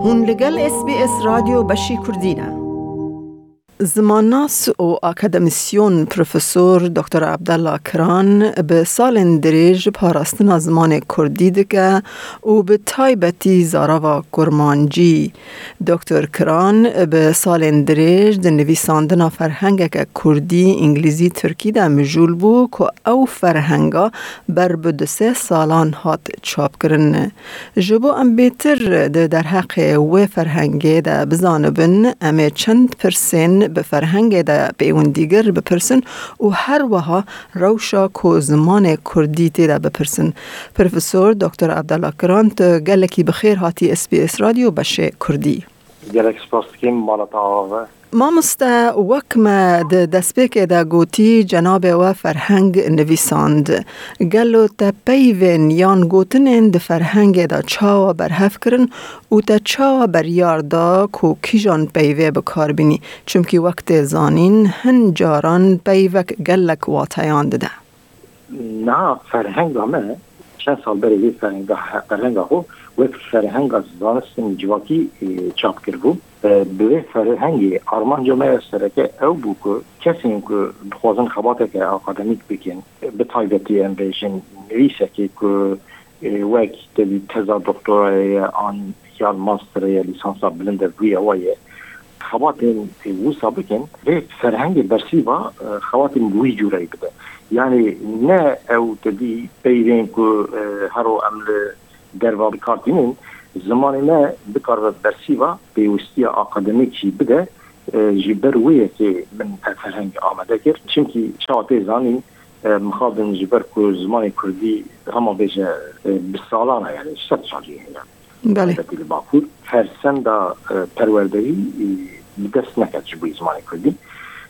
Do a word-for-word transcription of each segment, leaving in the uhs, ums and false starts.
Hûn li gel S B S Radyo Beşî Kurdî ne. Zimannas û akademisyon Profesor Doktor Abdallah Kiran bi salên dirêj parastina zimanê kurdî dike û bi taybetî zarava kurmancî. Doktor Kiran bi salên dirêj di nivîsandina ferhengeke kurdî, îngilîzî, tirkî de mijûl bû ku ew ferhenga ber bi du sê salan hat çapkirin. Ji bo em bêtir di derheqê wê ferhengê de bizanibin, em ê çend pirsên bi ferhengê de pêwendîgir bipirsin û her wiha rewşa ku zimanê kurdî tê de bipirsin. Profesor Doktor Abdallah Kiran, tu gelekî bi xêr hatî S B S Radyo Beşê Kurdî. Gelek spas dikim, mala te ava be. Mamoste, wek me di destpêkê de gotî, cenabê we ferheng nivîsand. Gelo te peyvên yan gotinên di ferhengê de çawa berhev kirin û te çawa beryar da ku kîjan peyvê bi kar bînî? Çimkî wek tê zanîn, hin caran peyvek gelek wateyan dide. Niha ferhenga me, çend sal berê vê ferhenga, ferhenga xwe wek ferhenga zanistin civakî, e, çap kiribû. E, bi vê ferhengê armanca me ya sereke ew bû ku kesên ku dixwazin xebateke akademîk bikin, bi taybetî em bêjin nivîsekê ku, e, wek tevî teza doktorayê ye an yan masterê ye, lîsansa bilind e, vî ewa ye. Xebatên wisa bikin, vê ferhengê bersîva, e, xebatên bi wî cûreyî bide. Yanî ne ew tevî peyvên ku, e, hero em li derva bi kar tînin, zimanê me bikaribe bersîva pêwistiya akademîk jî bide, e, ji ber wê yekê min ev ferheng amade kir. Çimkî çawa tê zanîn, e, mixabin ji ber ku zimanê kurdî hema bêje, e, bi salan e, yani sed salî heye. Belê. Taybetî li Bakur, fersenda, e, perwerderî, e, bi dest neket ji bo zimanê kurdî.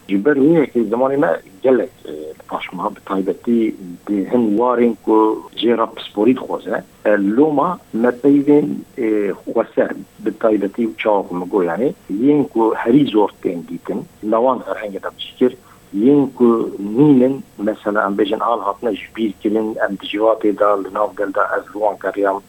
Ji ber wê yekê zimanê me gelek, e, li paş ma, bi taybetî di hin warên ku jê re pisporî dixwaze. E, loma me peyvên, e, xweser, bi taybetî û çawa ku min got, yani, yên ku herî zor tên dîtin, li wan ferhengê de bi cî kir, yên ku nînin, mesela, em bêjin, al hatine ji bîr kirin, em di civatê de, li nav gel de, ez li wan geriyam,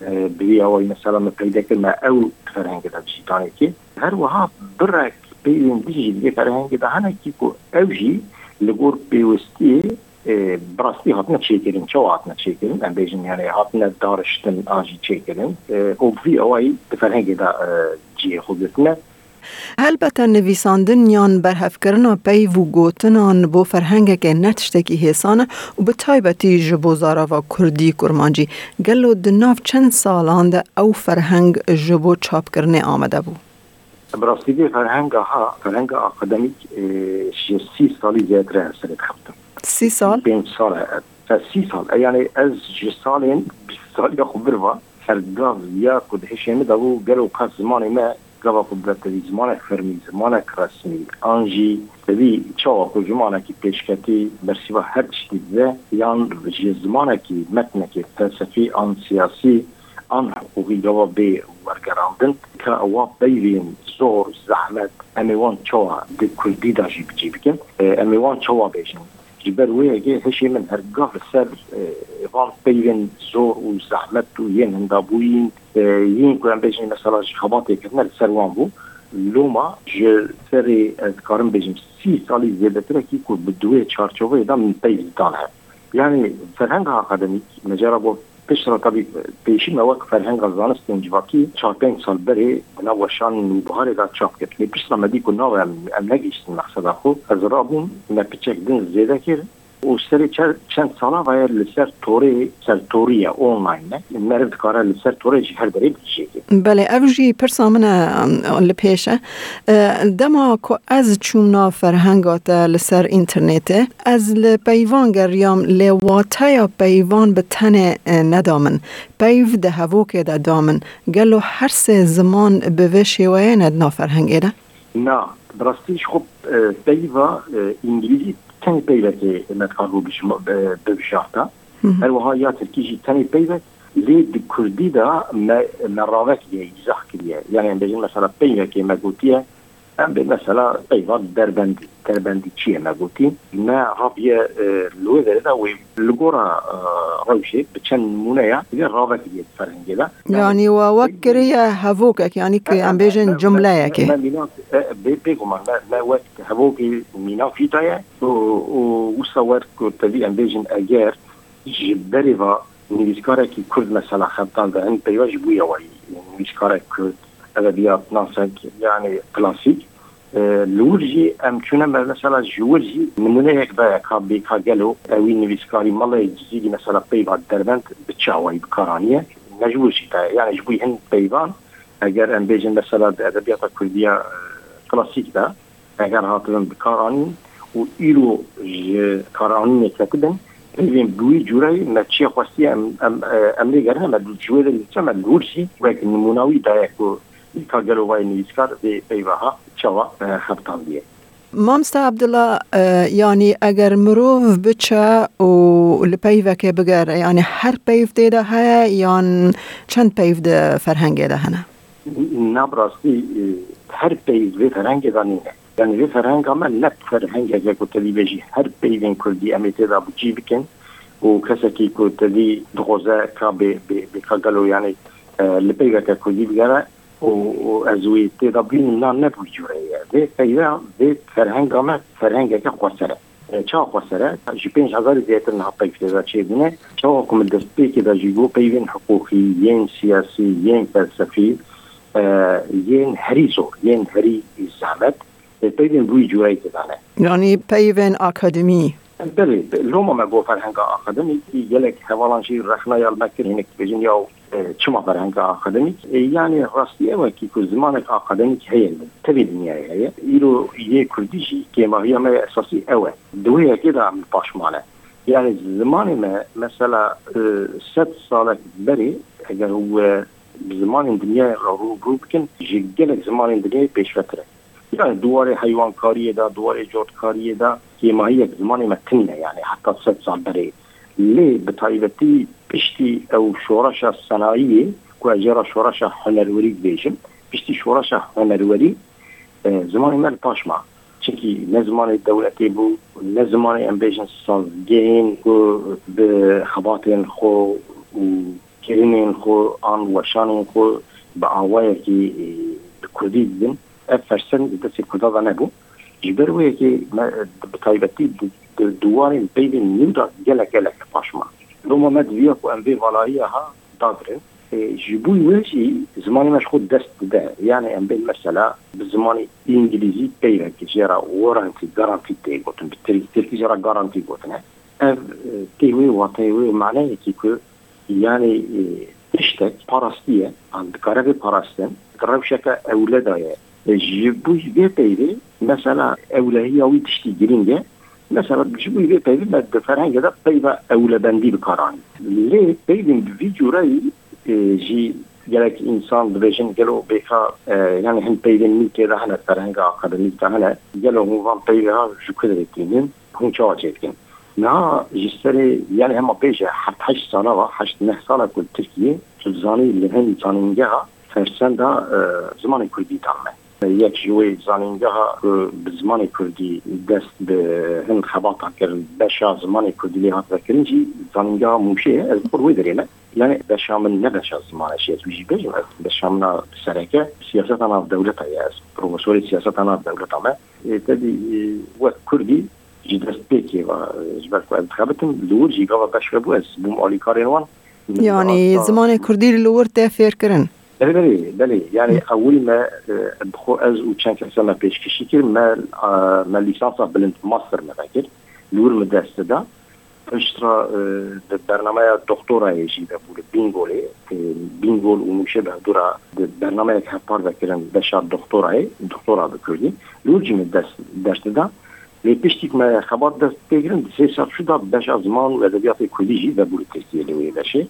e, bi vî awayî, mesela, me peyde kir, me ew ferhengê de bi cî danê kir. Her wiha birek peyvên din jî di vê ferhengê de hene kî ku ew jî li gor pêwistiyê, e, bi rastî hatine çêkirin. Çawa hatine çêkirin? Em bêjin, yani, hatine dariştin an jî çêkirin. E, û bi vî awayî di ferhengê de, e, cihê xwe girtine. Helbete nivîsandin yan berhevkirina peyv û gotinan bo ferhengekê ne tiştekî hêsan e û bi taybetî ji bo zarava kurdî kurmancî. Gelo di nav çend salan de ew ferheng ji bo çapkirinê amade bû? Bi rastî vê ferhenga ha, ferhenga akademîk, e, ji sî salî zêdetir e, ez serê dixebtim. Sî sal? Pênc sal e. E, sî sal. E, yani ez ji salên bîst saliya xwe bir ve, her gav ya ku di hişê min de bû, gelo qas zimanê me gava ku bi tevî zimanek fermî, zimanek resmî, an jî tevî çawa ku zimanekî pêşketî bersîva her tiştî dibe, yan ji zimanekî metnekê felsefî an siyasî, an hiqûqî gava bê wergerandin, ka ewa peyvên zor, zehmet, em ê wan çawa di kurdî de jî bi cî bikin? E, em ê wan çawa bêjin? Ji ber wê yekê hişê min her gav li ser, e, van peyvên zor û zehmet û yên hindabûyîn, e, yên ku em bêjin mesela ji xebatê kirine li ser wan bû. Loma ji serê, ez dikarim bêjim, sî salî zêdetir e kî ku bi di wê çarçoveyê de min peyv dane. Yani ferhenga akademîk, me cara got, piştre tabî pêşî me wek ferhenga zanistên civakî çar pênc sal berê di nav weşan Nûbiharê de çap kir. Lê piştre me dî ku nawe em, em negihîştin mexseda xwe. Ez rabûm, me piçek din zêde kir û serê çer-, çend sala ve ye li ser torê, ser torî ye, online e. Meriv dikare li ser torê ji her derê bigihîje. Belê, ev jî pirsa min e, em, li pêş e. E, dema ku ez çûm nav ferhenga te li ser înternetê, ez li peyvan geriyam, lê wateya peyvan bi tenê, e, neda min. Peyv di hevokê de da min. Gelo her sê ziman bi vê şêweyê ne di nav ferhengê de? Na, bi rastî ji xwe, e, peyva, e, îngilîzî tenê peyvekê me dikaribû bijima-, e, bibijarte. Hı hı. Her wiha ya tirkî jî tenê peyvek, lê di kurdî de me, me ravek diye, îzah kiriye. Yani em bêjin mesela peyvekê me gotiye, Em bê mesela peyva derbendî. Derbendî çi ye me gotî? Me rabiye, e, li wê derê de wê li gora, e, rewşê bi çend nimûneya divê ravekiriye di ferhengê de. Yanî we wek kiriye hevokek, yanî ki em bêjin cumleyekê. Me mînak, e, bê-, bêguman me, me wek hevokê mînak jî daye û, û wisa wer ku tevî em bêjin eger ji berê va nivîskarekî Kurd mesela xebtan de hin peyva ji bûye wayî nivîskarek Kurd, edebiyatnasek, yani klasîk. E, li wir jî em çûne me-, mesela ji wir jî nimûneyek daye ka bê ka gelo ewî nivîskarî Melayê Cizîrî mesela peyva derbend bi çi awayî bi kar aniye. Me ji wir jî daye. Yani ji bo hin peyvan eger em bêjin mesela di edebiyata Kurdiya, e, klasîk de eger hatibin bi kar anîn û îro ji karanînê ketibin, peyvên bi wî cûreyî me çiye xwestiye em, em, e, em lê gerine me ji wê derê diçe me li wir jî wek nimûna wî daye ku ka gelo vayê nivîskar vê peyva ha çawa, e, xebtandiye. Mamoste Abdullah, e, yanî eger mirov biçe û li peyvekê bigere, yanî her peyv tê de heye yan çend peyv di ferhengê de hene? Na bi rastî, e, her peyv vê ferhengê de nîne. Yani vê ferhenga me ne ferhengeke ku te dî bêjî her peyvên Kurdî em ê tê de bi cî bikin û kesekî ku te dî dixwaze ka bê, bê, bê ka gelo yani, e, li peyveke Kurdî bigere û, û ez wê tê de bînim, na ne bi wî cûre ye. Vê peyve, vê ferhenga me ferhengeke xweser e. E, çawa xweser e? Ji pênc hezarî zêdetir niha peyv tê de çêbûne. Çawa ku min destpêkê de jî got peyvên hiqûqî, yên siyasî, yên felsefî, e, yên herî zor, yên herî zehmet, e, peyvên bi wî cûreyî tê de ne. Yanî peyvên akademî? Belê, be-, loma me got ferhenga akademîk, gelek hevalan jî rexna ya li me kir, hinek dibêjin ya, e, çima ferhenga akademîk? E, yani rastî ew e kî ku zimanek akademîk heye li tevî dinyayê heye. Îro yê Kurdî jî kêmahiya me ya esasî ew e. Di wê yekê de em li paş mane. Yani zimanê me mesela, e, sed salek berê eger we bi zimanên dinyayê re rû bi rû bikin, ji gelek zimanên dinyayê pêşvetir e. Yani di warê heywankariyê de, di warê cotkariyê de kêmahiyek zimanê me tinî ne, yani heta sed sal berê. Lê bi taybetî piştî ew şoreşa senayiyê, ku ez jê re şoreşa hunerwerî dibêjim, piştî şoreşa hunerwerî, e, zimanê me li paş ma. Çimkî ne zimanê dewletê bû, ne zimanê em bêjin sazgehên ku bi xebatên xwe û kirinên xwe an weşanên xwe bi awayekî, e, bi kurdî didin. Ev fersend di destê Kurda de nebû. Ji ber wê yekê me, e, bi taybetî di, di, di warên peyvên nû de gelek gelek li paş ma. Loma me diviya ku em vê valahiya ha dagirin. E, ji bo wê jî zimanê me ji xwe dest dide. Yani em bên mesela bi zimanê îngilîzî peyvek jê re warranty, garantî tê gotin. Bi tirk-, tirkî jê re garantî gotine. Ev, e, tê wê wateyê wê maneyekî ku yani, e, tiştek parastiye, an dikare bê parastin, di rewşeke ewle de ye. E, ji bo vê peyvê mesela ewlehiya wî tiştî girîng e. Mesela ji bo vê peyvê me di ferhengê de peyva ewlebendî bi kar anî. Lê peyvên bi vî cûreyî, e, jî gelek însan dibêjin gelo bêka, e, yani hin peyvên nû tê de hene ferhenga akademîk de hene. Gelo hûn van peyvê ha ji ku derê tînin? Hûn çawa çêdikin? Niha ji serê, yani hema bêje heft heşt sala va, heşt neh sala ku li Tirkiyê, tu dizanî li hin zanîngeha fersenda, e, zimanê kurdî dame. Yek ji wê zanîngeha ku bi zimanê kurdî dest bi hin xebata kir, beşa zimanê kurdî lê hat vekirin jî zanîngeha Mûşê ye. Ez bi xwe wê derê me. Yani beşa min ne beşa zimanê jî, ez wî jî bêjim, ez beşa min a sereke siyaseta nav dewleta ye, ez profesorê siyaseta nav dewleta me. E, tevî, e, wek kurdî ji destpêkê ve, e, ji ber ku ez dixebitim, li wir jî gava beş vebû, ez bûm alîkarên wan. Min Yanî dihat zimanê kurdî li wir tê fêrkirin? Belê, belê, belê. Yani ewil me, e, bi xwe ez û çend kesa me pêşkêşî kir, me, e, me lîsansa bilind, master me vekir. Li wir min dest da. Piştre, e, di bernameya doktorayê jî vebû li Bîngolê, e, Bîngol û Mûşê bi hevdû re di bernameyek hevpar vekirin beşa doktorayê, doktora bi kurdî. Li wir jî min dest, ders dida. Lê piştî ku me xebat dest pê kirin, di sê serçû de beşa ziman û edebiyatê kurdî jî vebû li Tirkiyê li wê beşê.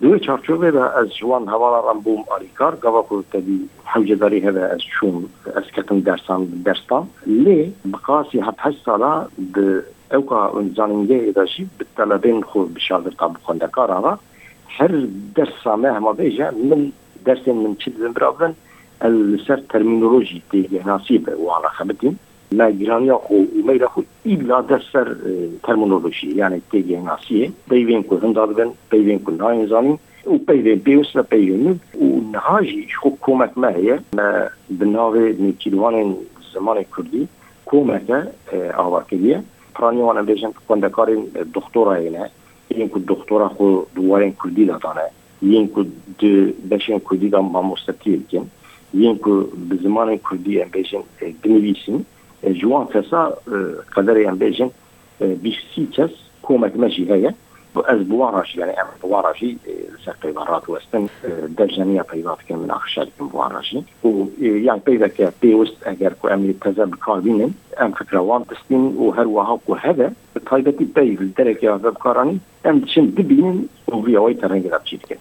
Di wê çarçovê de ez ji wan hevalan re bûm alîkar, gava ku tevî hewcedarî hebe ez çûm, ez ketim dersan, ders dan. Lê bi qasî heft heşt sala di ewka zanîngehê de jî bi telebên xwe, bi şagirta, bi xwendekaran re her dersa me hema bêje min dersên min çi dibin bira bin, Ez li ser termînolojî têgehnasiyê bi wan re xebitîm. Me giraniya xwe û meyla xwe îbla de ser, e, termînolojiyê, yani têgehnasiyê, peyvên ku hinda dibin, peyvên ku nayên zanîn û peyvên pêwist ve peyvên nû. Û niha jî ji xwe komek me heye, me bi navê Nêçîrvanên Zimanê Kurdî komeke, e, ava kiriye. Piraniya wan em bêjin xwendekarên, e, doktorayê ne, yên ku doktora xwe di warên kurdî de dane, yên ku di beşên kurdî de mamostetiyê dikin, yên ku bi zimanên kurdî em bêjin, e, dinivîsin, e, ji wan kesa, e, qederê em bêjin, e, bîst sî kes komek me jî heye. Ez bi wan re jî, yani em bi wan re jî, e, li ser peyva radiwestin, e, dev jeniya peyva dikin, minaqeşe dikin bi wan re jî. Û, e, yani peyveke pêwist eger ku em ê teze bi kar bînin, em fikra wan distînin û her wiha ku hebe, bi taybetî peyv li derekê ve bi kar anîn, em diçin dibînin û vî awayî terengê de çî dikin.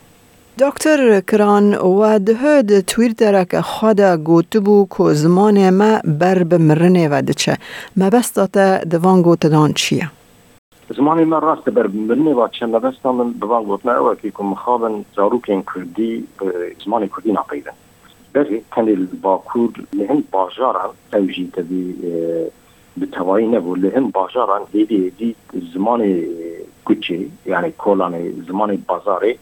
Doktor Kiran, we diho di Twittereke xwe de gotibû ku zimanê me ber bi mirinê ve diçe. Mebesta te di van gotinan çi ye? Zimanê me rast e ber bi mirinê ve diçe. Mebesta min bi van gotinan ew e ku mixabin zarokên kurdî bi zimanê kurdî napeyvin. Berê tenê li Bakur, li hin bajaran, ew jî tevî, e, bi tevayî nebû. Li hin bajaran hêdî hêdî zimanê, e, kuçê, yani kolanê, zimanê bazarê,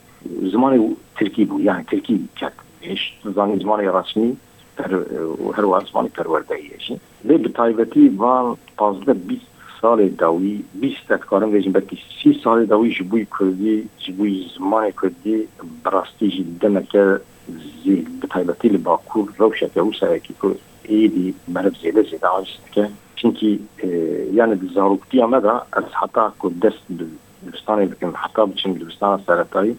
zimanê tirkî bû, yani tirkî ket pêş. Zanî zimanê resmî per-, û her wiha zimanê perwerdeyî ye jî. Lê bi taybetî van pazdeh bîst salê dawî, bîst, ez dikarim bêjim belkî sî salê dawî ji bo kurdî, ji bo zimanê kurdî bi rastî jî demeke zêde, bi taybetî li Bakur rewşeke wisa ye ku êdî meriv zêde zêde aciz dike. Çimkî, e, yani di zaroktiya me de ez heta ku dest bi dibistanê bikim, heta biçim dibistana seretayî,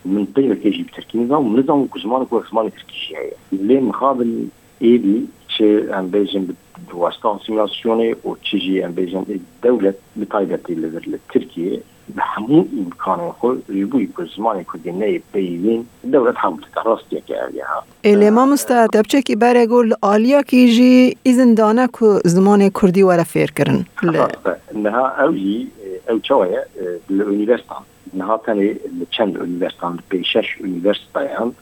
min peyvekê jî bi tirkî nizam û nizam ku ziman ku zimanê tirkî jî heye. Lê mixabin êdî çi em bêjin bi, bi wasta asîmîlasyonê û çi jî em bêjin ê dewlet bi taybetî li vir li Tirkiyê bi hemû îmkanên xwe ji bo ku zimanê kurdî neyê peyvîn dewlet hewl dike. Rastiyeke ev ya. Ê lê mamoste, te piçekî berê got li aliyekî jî îzin dane ku zimanê kurdî were fêrkirin. Li Rast e. Niha ew jî, ew çawa ye, li unîversîteyan. Niha tenê li çend unîversîteyan, li pênc şeş unîversîteyan,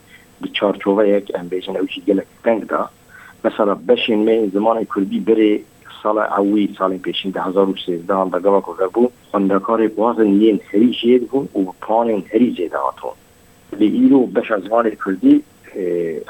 di çarçoveyek, em bêjin, ew jî gelek teng de. Mesela beşên me yên zimanê kurdî berê sala ewî, salên pêşîn, du hezar û sêzdeh de gava ku vebû, xwendekarê ku hatin yên herî jêr bûn û bi puanên herî zêde hatin. Lê îro beşa zimanê kurdî, e,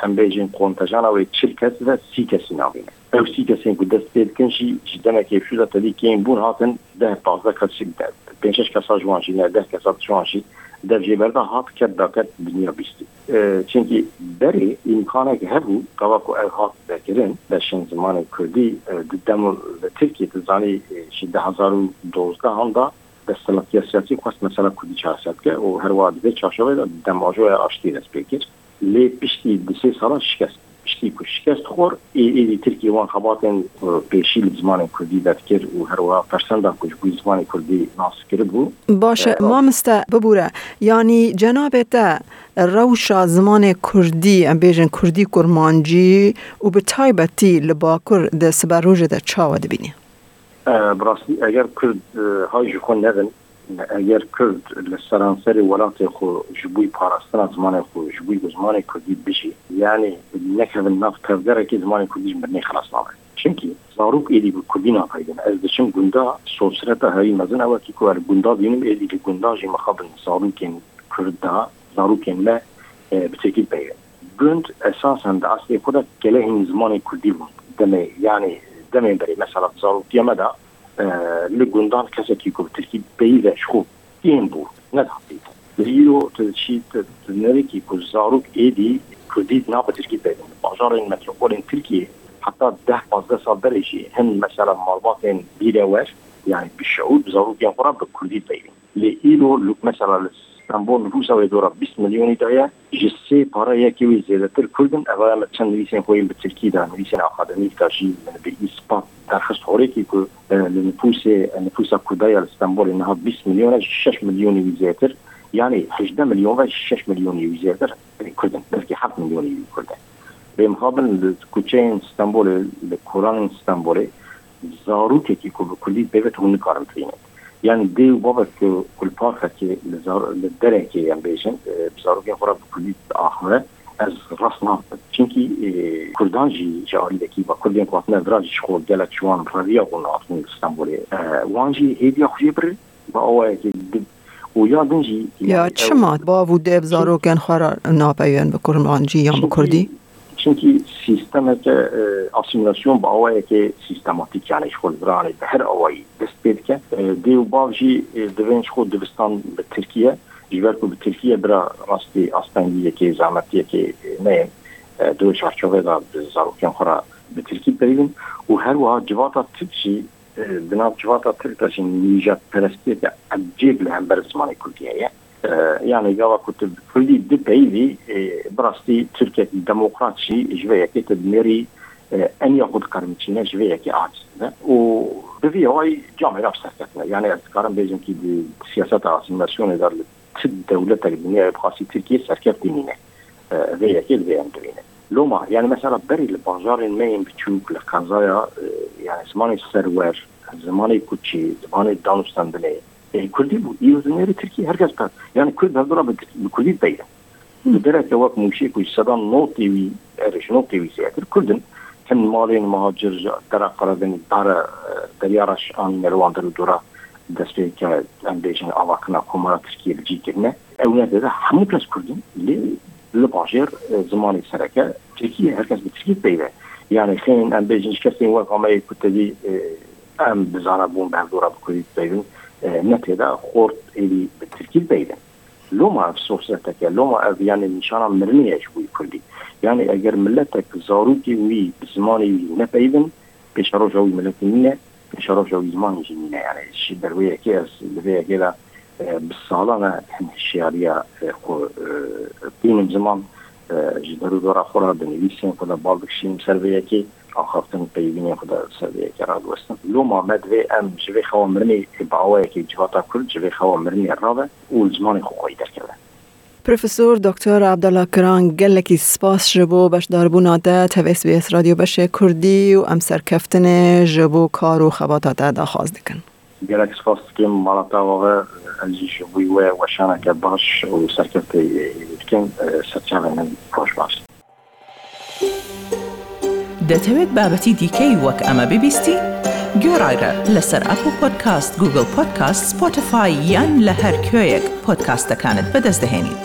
em bêjin, kontejana wê çil kes ve sî kesî navîne. Ew sî kesên ku dest pê dikin jî ji demekê pêşû de tevî kêm bûn, hatin deh pazdeh kes jî, de-, pênc şeş kesa ji wan jî, ne deh kesa ji wan jî dev jê berda, hat ket daket dinya bîstî. E, çimkî berê îmkanek hebû, gava ku ev hat vekirin, beşên zimanê kurdî, e, di dem li Tirkiyê, tu zanî, e, ji du hezar û dozdeh de desthilatiya siyasî xwest mesela kurdî çareser bike û her wiha di vê çarçoveyê de demajoya aştiyê dest pê kir. Lê piştî du sê sala şikest. Piştî ku şikest xwar, ê, êdî Tirkiye wan xebatên, e, pêşî li zimanên kurdî vedikir û her wiha persenda ku ji bo zimanê kurdî nas kiribû. Baş e, E, mamoste, bibûre. Yanî cenabê te rewşa zimanê kurdî, em bêjin kurdî kurmancî û bi taybetî li Bakur di siberojê de çawa dibînî? E, bi rastî, eger Kurd, e, hay ji xwe nebin, eger Kurd li seranserê welatê xwe ji bo parastina zimanê xwe, ji bo ku zimanê Kurdî bijî, yanî nekevin nav tevgerekê, zimanê Kurdî ji mirinê xilas nabe. Çimkî zarok êdî bi Kurdî napeyivin. Ez diçim gunda, sosreta herî mezin ew e ku ez li gunda dibînim, êdî li gunda jî mixabin zarokên Kurd de, zarokên me, e, bi Tirkî dipeyivin. Gund esasen di eslê xwe de kelehên zimanê kurdî bûn. Demê, yanî demên berê, mesela di zaroktiya me de, e, li gundan kesekî ku bi tirkî peyive ji xwe kêm bû, nedihatiye. Lê îro tu diçî, tu, tu nerîkî ku zarok êdî kurdî nabe tirkî peyvin. Bajarên metropolên Tirkiyê heta deh pazdeh sal berê jî hin mesela malbatên bîrewer, yanî bi şeûr, bi zarokên xwe re bi kurdî peyvin. Lê îro li, mesela li Stenbol nifûsa wê dora bîst milyonî de ye, ji sê para yekê wî zêdetir Kurd in. Eva em çend nivîsên xwe yên bi tirkî de, nivîsên akademîk de jî min bi îspat derxist horekî ku, e, li nifûsê, nifûsa Kurda ya li Stenbolê niha bîst milyon e, ji şeş milyonî wî zêdetir. Yanî hejdeh milyon ve ji şeş milyonî wî zêdetir Kurd in. Belkî heft milyonî wî Kurd e. Lê mixabin li kuçeyên Stenbolê, li kolanên Stenbolê, zarokekî ku bi kurdî dipeyve hûn nikarin bibînin. Yanî dê û bavek ku, ku li parkekê, li zar-, li derekê em bêjin, e, bi zarokên xwe re bi kurdî diaxive, Ez rast nakim. Çimkî, e, Kurdan jî ji alî vekî ve Kurdên ku hatine vira jî ji xwe gelek ji wan reviyabûn hatin li Stenbolê. E, wan jî hêviya xwe jê birin, bi awayekê di-, û ya din jî, Ya yani, ew çima bav û dev zarokên xwe re napeyivin bi kurmancî yan bi Çimkî, kurdî? Çimkî sîstemeke, e, asîmilasyon bi awayekê sîstematîk, yani ji xwe li viranê bi her awayî dest pê dike. E, dê û bav jî, e, divên ji xwe dibistan bi tirkî ye. Ji ber ku bi tirkî ye bira rastî astengiyekê, zehmetiyekê, e, neyên, e, di wê çarçovê de bi zarokên xwe re bi tirkî peyivin û her wiha civata tirk jî, e, di nav civata tirk de jî nîjadperestiyeke ecêb li hember zimanê kurdî heye. E, yani gava ku tu bi kurdî dipeyivî, e, bi rastî tirkek demokrat jî ji vê yekê tu dinêrî, e, eniya xwe diqermiçîne, ji vê yekê aciz dibe û bi vî awayî camêra bi serkeftin e. Yani ez dikarim bêjim kî di siyaseta asîmilasyonê de li ti dewletek dinyayê bi xasî Tirkiye serkeftî nîne. E, vê yekê divê em bibînin. Loma, yani mesela berî li bajarên me yên biçûk, li qezaya, e, yani zimanê serwer, zimanê kuçî, zimanê danûstendinê, e, kurdî bû. Îro dinêrî tirkî, her kes, yani kurd hevdû re bi, bi kurdî dipeyivin. Li dereke wek Mûşê ku ji seda notê wî, erê ji notê wî zêdetir kurd in. Hin malên muhacir ji dera Qeredeniz, dara, e, Derya Reş anîne li wan der û dora dest pê dike, em bêjin, avakirina Komara Tirkiyê li cî kirine. Ew ne tê de hemû kes kurd in, lê li bajêr, e, zimanê sereke tirkî ye, her kes bi tirkî dipeyive. Yani xênin em bêjin ji kesên wek me yê ku tevî, e, em bi zanebûn bi hevdû re bi kurdî dipeyivin, e, ne tê de xort êdî bi tirkî dipeyivin. Loma ev sohbeteke, loma ev yani nîşana mirinê ye ji bo kurdî. Yani eger miletek zarokên wî bi zimanê wî nepeyivin, pêşeroja wî miletî nîne, pêşeroja wî zimanê jî nîne. Yani ji ber wê yekê ez li vê yekê de, e, bi salan e hin hişyariya, e, xwe, e, bînim ziman, e, ji derûdora xwe re di nivîsên xwe de bal dikişînim ser vê yekê. Axaftin peyvînên xwe de ser vê yekê radiwestin. Loma me divê em ji vê xewa mirinê bi awayekê civata Kurd ji vê xewa mirinê rabe û li zimanê xwe xweyî derkeve. Profesor Doktor Abdullah Kiran, gelekî spas ji bo beşdarbûna te tevê S B S Radyo Beşê Kurdî û em serkeftinê ji bo kar û xebata te daxwaz dikin. Gelek spas dikim mala te ava ve, ez jî ji bo we weşaneke baş û serkefteyê dikim, serçavên min xweş baş. دەتەوێت بابەتی دیکەی وەک ئەمە ببیستی؟ گوێڕایرە لەسەر ئەپڵ پۆدکاست، گوگڵ پۆدکاست، سپۆتیفای یان لە هەر کوێیەک پۆدکاستەکانت بەدەست دەهێنیت.